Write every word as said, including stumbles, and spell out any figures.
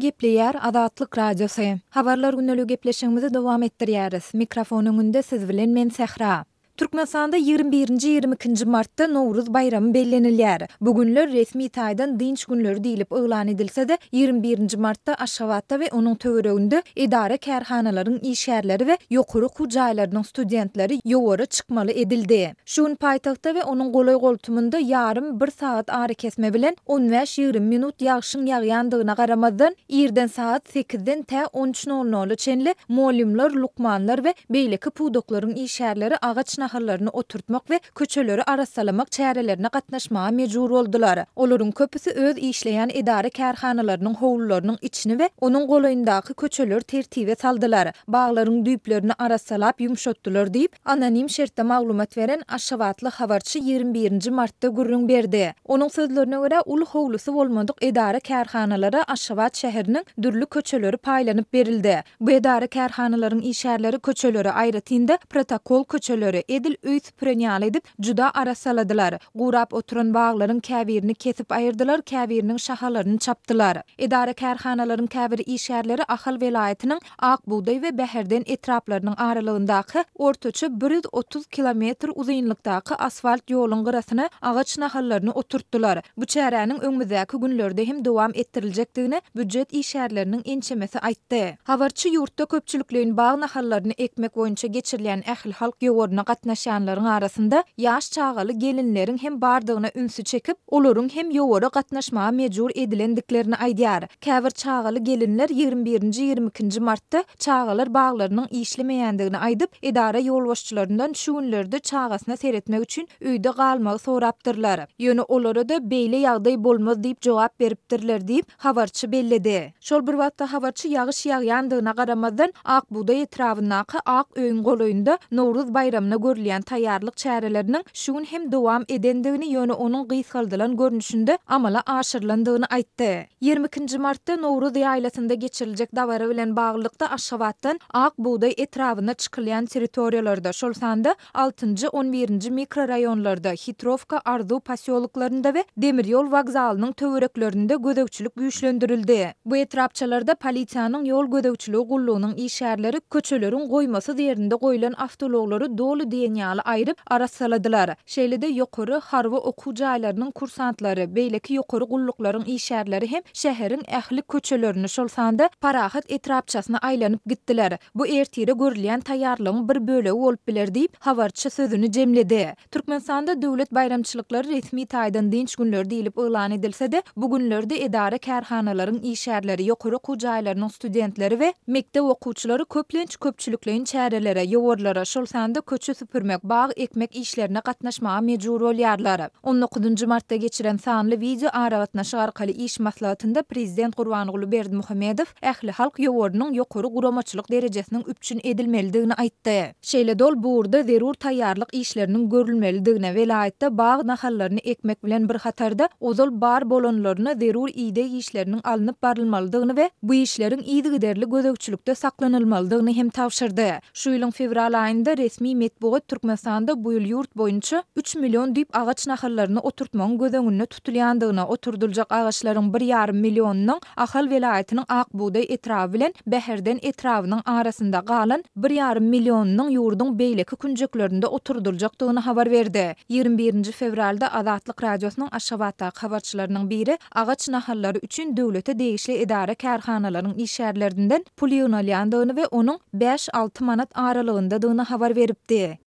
Gepleýär Azatlyk Radiosy. Habarlar gündeligi gepleşigimizi dowam etdirýäris. Mikrofon öňünde siz bilen men Sähra. Türkmenistanda ýigrimi birinji, ýigrimi ikinji martda Nowruz baýramy bellenilýär. Bu günler resmi taýdan dynç günleri diýlip yglan edilse-de, ýigrimi birinji martda Aşgabatda we onuň töwereginde edara-kärhanalaryň işgärleri we ýokary okuw jaýlarynyň studentleri ýowara çykmaly edildi. Şu gün paýtagtda we onuň golaý-goltumynda ýarym, bir sagat arakesme bilen on bäş-ýigrimi minut ýagşyň ýagýandygyna garamazdan, irden sagat sekizden tä on üç nol nola çenli mugallymlar, lukmanlar we beýleki pudaklaryň işgärleri agaç nahallaryny oturtmak we köçeleri arassalamak çärelerine gatnaşmaga mejbur boldular. Olaryň köpüsi öz işleýän edara-kärhanalarynyň howlularynyň içini we onuň golaýyndaky köçeleri tertibe saldylar, baglaryň düýplerini arassalap ýumşatdylar diýip, anonim şertde maglumat beren aşgabatly habarçy ýigrimi birinji martda gürrüň berdi. Onuň sözlerine görä, uly howlusy bolmadyk edara-kärhanalara Aşgabat şäheriniň dürli köçeleri paýlanyp berildi. Bu edara-kärhanalaryň işgärleri köçeleri, aýratyn-da, protokol köçeleri, edil öý süpüren ýaly edip, juda arassaladylar. Gurap oturan baglaryň käbirini kesip aýyrdylar, käbiriniň şahalaryny çapdylar. Edara-kärhanalaryň käbir işgärleri Ahal welaýatynyň Ak bugdaý we Bäherden etraplarynyň aralygyndaky ortaça bir ýüz otuz kilometr uzynlykdaky asfalt ýoluň gyrasyna agaç nahallaryny oturtdylar. Bu çäräniň öňümizdäki günlerde hem dowam etdiriljekdigini býujet işgärleriniň ençemesi aýtdy. Habarçy ýurtda köpçülikleýin bag nahallaryny ekmek boýunça geçirilýän ählihalk ýowaryna gatnaşýanlaryň arasynda ýaş çagaly gelinleriň hem bardygyna ünsi çekip, olaryň hem ýowara gatnaşmaga mejbur edilendiklerini aýdýar. Käbir çagaly gelinler ýigrimi birinji, ýigrimi ikinji martda çagalar baglarynyň işlemeýändigini aýdyp, edara ýolbaşçylaryndan şu günlerde çagasyna seretmek üçin öýde galmagy sorapdyrlar. Ýöne olara-da beýle ýagdaý bolmaz diýip jogap beripdirler diýip, habarçy belledi. Şol bir wagtda habarçy ýagyş ýagýandygyna garamazdan, Ak bugdaý etrabyndaky Ak öýüň golaýynda Nowruz baýramyna görülýän taýýarlyk çäreleriniň şu gün hem dowam edendigini, ýöne onuň gysgaldylan görnüşinde amala aşyrylandygyny aýtdy. Ýigrimi ikinji martda Nowruz ýaýlasynda geçiriljek dabara bilen baglylykda Aşgabatdan Ak bugdaý etrabyna çykylýan territoriýalarda, şol sanda altynjy, on birinji mikroraýonlarda, Hitrowka, Arzuw posýoloklarynda we demir ýol wokzalynyň töwereklerinde gözegçilik güýçlendirildi. Bu etrapçalarda polisiýanyň ýol gözegçiligi gullugynyň işgärleri köçeleriň goýmasyz ýerinde goýlan awtoulaglary doly diýen ýaly aýryp, arassaladylar. Şeýle-de ýokary harby okuw jaýlarynyň kursantlary, beýleki ýokary gulluklaryň işgärleri hem şäheriň ähli köçelerini, şol sanda Parahat etrapçasyna aýlanyp gitdiler. Bu ertire görülýän taýýarlygyň bir bölegi bolup biler diýip, habarçy sözüni jemledi. Türkmenistanda döwlet baýramçylyklary resmi taýdan dynç günleri diýlip yglan edilse-de, bu günlerde edara-kärhanalaryň işgärleri, ýokary okuw jaýlarynyň studentleri we mekdep okuwçylary köplenç köpçülikleýin çärelere, ýowarlara, şol sanda köçe süpürmek, bag ekmek işlerine gatnaşmaga mejbur bolýarlar. On dokuzynjy martda geçiren sanly wideo aragatnaşyk arkaly iş maslahatynda prezident Gurbanguly Berdimuhamedow ählihalk ýowarynyň ýokary guramaçylyk derejesiniň üpjün edilmelidigini aýtdy. Şeýle-de ol bu ugurda zerur taýýarlyk işleriniň görülmelidigine, welaýatda bag nahallaryny ekmek bilen bir hatarda ozal bar bolanlaryna zerur ideg işleriniň alnyp barylmalydygyny we bu işleriň yzygiderli gözegçilikde saklanylmalydygyny hem tabşyrdy. Şu ýylyň fewral aýynda resmi metbugat Türkmenistanda bu ýyl ýurt boýunça üç million düýp agaç nahallaryny oturtmagyň göz öňünde tutulýandygyny, oturdyljak agaçlaryň bir ýarym millionynyň Ahal welaýatynyň Ak bugdaý etraby bilen Bäherden etrabynyň arasynda, galan bir ýarym millionynyň ýurduň beýleki künjeklerinde oturdyljakdygyny habar berdi. Ýigrimi birinji fewralda Azatlyk Radiosynyň Aşgabatdaky habarçylarynyň biri agaç nahallary üçin döwlete degişli edara-kärhanalaryň işgärlerinden pul ýygnalýandygyny we onuň bäş-alty manat aralygyndadygyny habar beripdi.